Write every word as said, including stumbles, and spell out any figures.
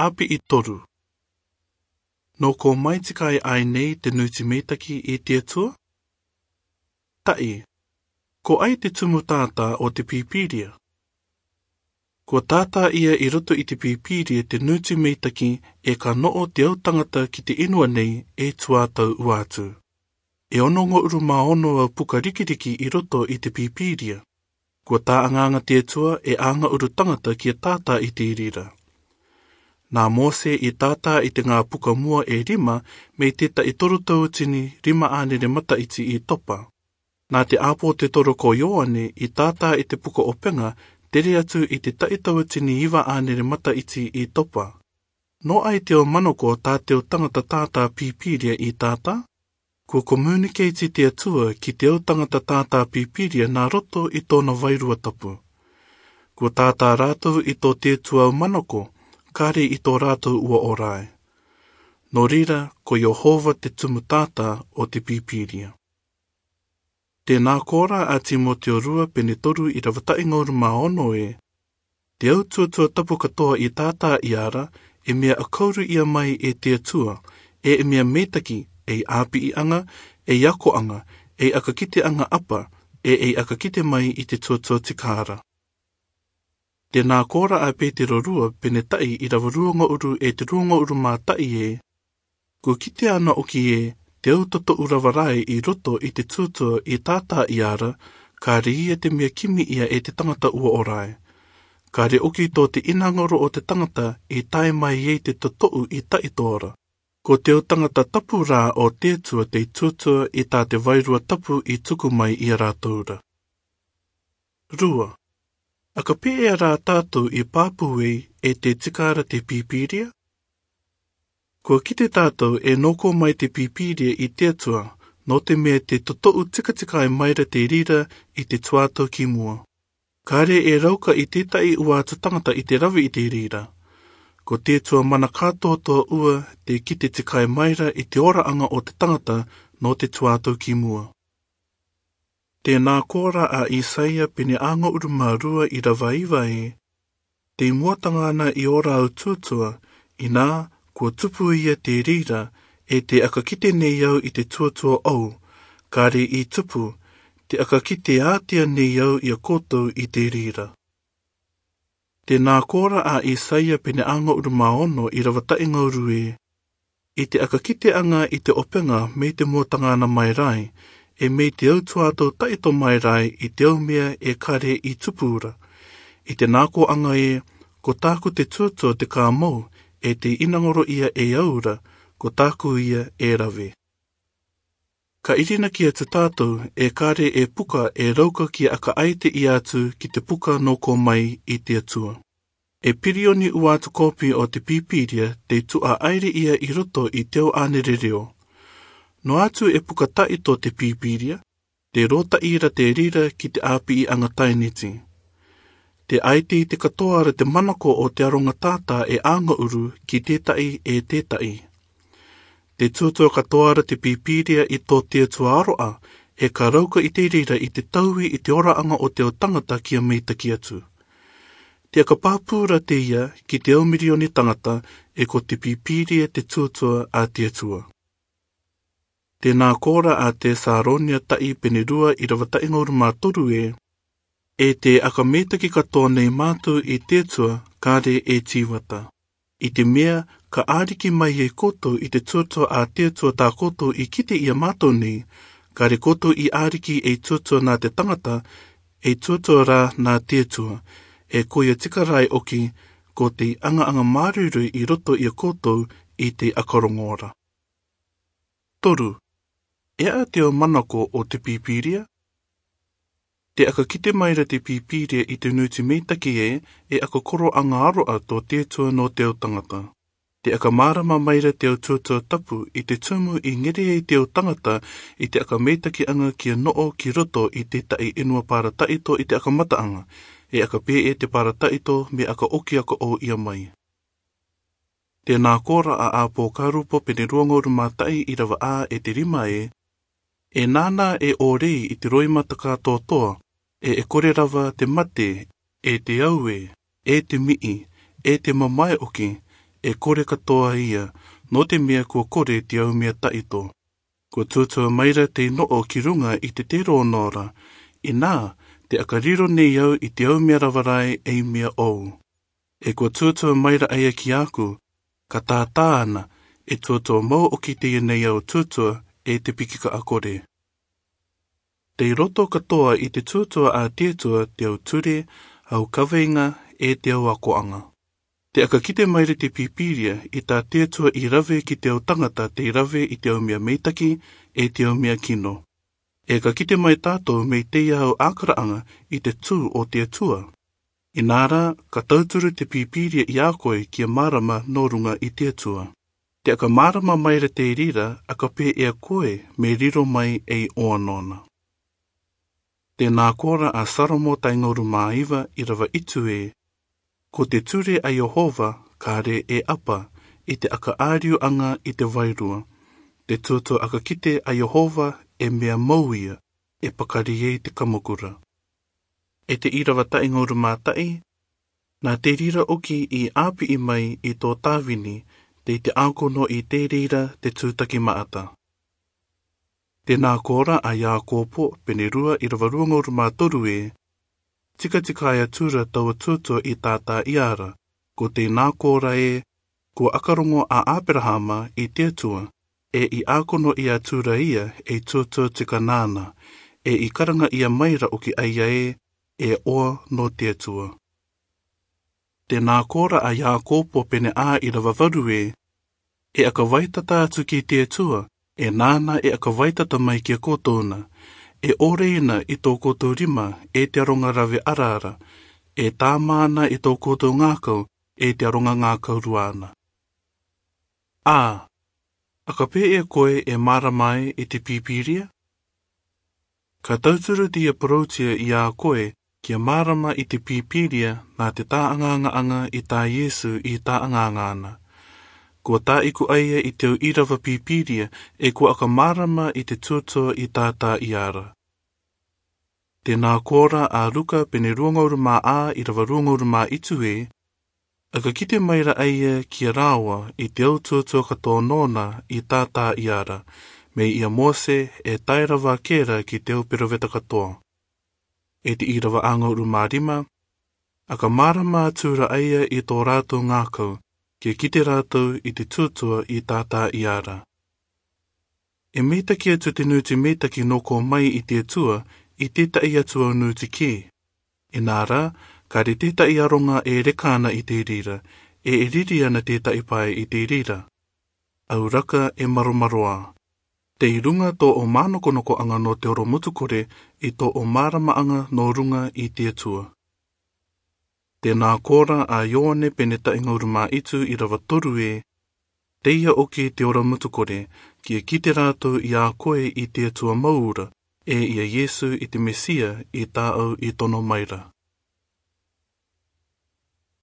ʻĀpiʻi toru. Nō ko ʻomai tikai ʻae nei te nuiti meitaki i te Atua? Taʻi, ko ai te tumu tātā o te Pīpīria? Kua tātā ia i roto i te Pīpīria te nuiti meitaki ē ka noʻo te au tangata ki te inua nei e tuā tau ua atu. E ono ngō ʻuru mā ono au puka rikiriki i roto i te Pīpīria. Kua tāʻangaanga te Atua e anga ʻuru tangata kia tātā i te rira. Nā Mose i tātā i te ngā puka mua e rima mei te taʻi toru tauatini rima ʻānere mataiti i topa. Nā te ʻāpōtetoro ko Ioane i tātā i te puka ʻopenga tere atu i te taʻi tauatini iva ʻānere mataiti i topa. Nō ai te au manako tā te au tangata tātā Pīpīria i tātā? Kua communicate te Atua ki te au tangata tātā Pīpīria nā roto i tōna Vairua Tapu. Kua tātā rātou i tō te Atua au manako, kāre i tō rātou ua ora ai. Nō reira, ko Iehova te tumu tātā o te Pīpīria. Tēnā kōrā a Timoteo rua pene toru ʻīrava taʻi ngō ʻuru mā ono ē, te au tuatua tapu katoa i tātā ia ra, e mea ʻakauru ia mai e te Atua, e e mea meitaki, ei ʻāpiʻiʻanga, ei akoʻanga, ei ʻakakiteʻanga ʻapa, e ei ʻakakite mai i te tuatua tika ra. Tēnā kōrā a Pētero rua pene taʻi ʻīrava rua ngō ʻuru e te rua ngō ʻuru mā taʻi ē, kua kitea anaʻe ʻoki ē te au totoʻu rava rae i roto i te tuatua i tātā ia ra, kāre ia te mea kimi ia e te tangata ua ora ai. Kāre ʻoki tō te ʻinangaro o te tangata i tae mai ai te totoʻu i taʻi tora. Ko te au tangata tapu rā o te Atua te tuatua i tā te Vairua Tapu i tuku mai ia rātou ra. Rua. ʻAkapē ʻae rā tātou i pāpū ai e tē tika ra te Pīpīria? Kua kite tātou e nō ko ʻomai te Pīpīria i te Atua, nō te mea tē totoʻu tikatikai mai ra te rira i te tuā tau ki mua. Kāre e rauka i te taʻi ua atu tangata i te rave i te rira. Ko te Atua mana kātoatoa ua tē kite tikai mai ra i te oraʻanga o te tangata nō te tuā tau ki mua. Tēnā kōrā a Isaia pene ʻā ngō ʻuru mā rua ʻīrava iva ē, tei moatanga ana i ora au tuatua, inā, kua tupu ia te rira, e tē ʻakakite nei au i te tuatua ʻou, kāre i tupu, tē ʻakakite ātea nei au ia koutou i te rira. Tēnā kōrā a Isaia pene ʻā ngō ʻuru mā ono ʻīrava taʻi ngō ʻuru ē, i te ʻakakiteʻanga i te ʻopenga mei te moatanga ana mai ra ai, e mei te au tuā tau taʻito mai ra ai i te au mea e kāre i tupu ra. I te nākoaʻanga ē, ko tāku te tuatua te kāmou, e tē ʻinangaro ia e au ra, ko tāku ia e rave. Ka ʻirinakiʻi atu tātou, e kāre e puka e rauka kia ʻakaʻaite ia atu ki te puka nō ko ʻomai i te Atua. E pirioni ua atu kōpī o te Pīpīria tē tuʻa ʻairi ia i roto i te au ʻānere reo. Noa atu e puka taʻito te Pīpīria, tē rotaʻi ra te rira ki te ʻāpiʻiʻanga tainiti. Tē ʻaite i te katoa ra te manako o te aronga tātā e ʻā ngō ʻuru ki te taʻi e te taʻi. Tē tuatua katoa ra te Pīpīria i tō te Atua aroʻa, e ka rauka i te rira i te taui i te oraʻanga o te au tangata kia meitaki atu. Tē ʻakapāpū ra teie ki te au mirioni tangata, e ko te Pīpīria te tuatua a te Atua. Tēnā kōrā a Tesalonia taʻi pene rua ʻīrava taʻi ngō ʻuru mā toru ē, e tē ʻakameitaki katoa nei mātou i te Atua kāre e tīvata. I te mea, ka ʻāriki mai e koutou i te tuatua a te Atua tā koutou i kite ia mātou nei, kāre koutou i ʻāriki ei tuatua nā te tangata, ei tuatua rā nā te Atua, e ko ia tika ra ai ʻoki, ko te ʻangaʻanga māroiroi i roto ia koutou i te ʻakarongo ra. Toru, e aha te au manako o te Pīpīria? Tē ʻakakite mai ra te Pīpīria i te nuiti meitaki ē, e ʻakakoroʻanga aroʻa tō te Atua nō te au tangata. Tē ʻakamārama mai ra te au tuatua tapu i te tumu i ngere ai te au tangata i te ʻakameitakiʻanga kia noʻo ki roto i te taʻi ʻenua parataʻito i te ʻakamataʻanga, e ʻakapē ē te parataʻito mea ʻakaʻoki ʻakaʻō ia mai. Tēnā kōrā a ʻApōkarupo pene rua ngō ʻuru mā taʻi ʻīrava ʻā e te rima ē, e nānā e ʻōrei i te roimata kātoatoa, e e kore rava te mate, e te aue, e te miʻi, e te mamae ʻoki, e kore katoa ia, nō te meʻa kua kore te aumea taʻito. Kua tuatua maira tei noʻo ki ruŋa i te tero nō ra, inā, te aka riro nei au i te aumea rava rae ei meʻa ʻou. E kua tuatua maira aia ki aku, ka tātā ana, e tuatua mau ʻoki teie nei au tuatua e te piki kaʻa kore. Tei roto katoa i te tuatua a te Atua te au ture, au kaveinga, e te au akoʻaŋa. Te aka kite maira te Pīpīria i tā te Atua i rave ki te au taŋata tei rave i te au meʻa meitaki, e te au meʻa kino. E ka kite mai tātou mei teie au ʻākaraʻaŋa i te tū o te Atua. Inā rā, ka tauturu te Pīpīria i a koe kia mārama nō ruŋa i te Atua. Te aka mārama maira te reira, aka pē ʻe a koe, mei riro mai ei ʻoa nōna. Tē nā kōrā a Salomo taʻi ŋaorumā iva irava itu ē, ko te ture a Iehova, kare e ʻapa, i te aka ʻāriuʻaŋa i te vairua. Te tuatua aka kite a Iehova, e meʻa mau ia, e pakari ei te kamokura. E te irava taʻi ŋaorumā taʻi, nā te reira ʻoki i ʻāpiʻi mai i tō Tāvini, tei te ʻākono i te reira te tūtaki maʻata. Tē nā kōrā a Iakopo, pene rua irava rua ŋaorumā toru ē, tikatika e atura taua tuatua i tātā ia ra, ko tē nā kōrā ē, kua aka roŋo a Aperahama i te Atua, e i ʻākono ia atura ia, ei tuatua tika nāna, e i karaŋa ia maira ʻoki aia ē, e ʻoa nō te Atua. Tē nā kōrā a Iakopo pene ā irava varu ē, e aka vaitata atu ki te Atua, e nāna e aka vaitata mai kia koutou na, e ʻore ina i tō koutou rima, e te aroŋa rave ara ra, e tāmā na i tō koutou ngākau, e te aroŋa ngākau rua na. Ā, aka pē ʻe koe e mārama ai i te Pīpīria? Ka tauturu teie poroutia i a koe, kia mārama i te Pīpīria nā te tāʻaŋaŋaʻaŋa i tā Iesu i tāʻaŋaŋa na. Kua tāʻiku aia i te au irava Pīpīria, e kua aka mārama i te tuatua i tātā ia ra. Tē nā kōrā a Ruka pene rua ŋaorumā ā irava rua ŋaorumā itu ē, aka kite maira aia kia rāua i te au tuatua katoa nōna i tātā ia ra, mei ia Mose e tae rava kē ra ki te au peroveta katoa. E te irava ā ŋaorumā rima, aka mārama atura aia i tō rātou ngākau, kia kite rātou i te tuatua i tātā ia ra. E meitaki atu te nūti meitaki nō kō mai i te Atua, i tētahi atu au nūti kē. Inā rā, kare tētahi aroŋa e reka ana i te reira, e e riri ana tētahi pae i te reira. Au raka e maromaroā. Tei ruŋa tō ʻo mānokonokoʻaŋa nō te ora mutu kore, i tō ʻo māramaʻaŋa nō ruŋa i te Atua. Tē nā kōrā a Ioane pene taʻi ŋaorumā itu irava toru ē, teie ʻoki te ora mutu kore, kia kite rātou i a koe i te Atua mau ra, e ia Iesu i te Mesia i tāʻau i tono maira.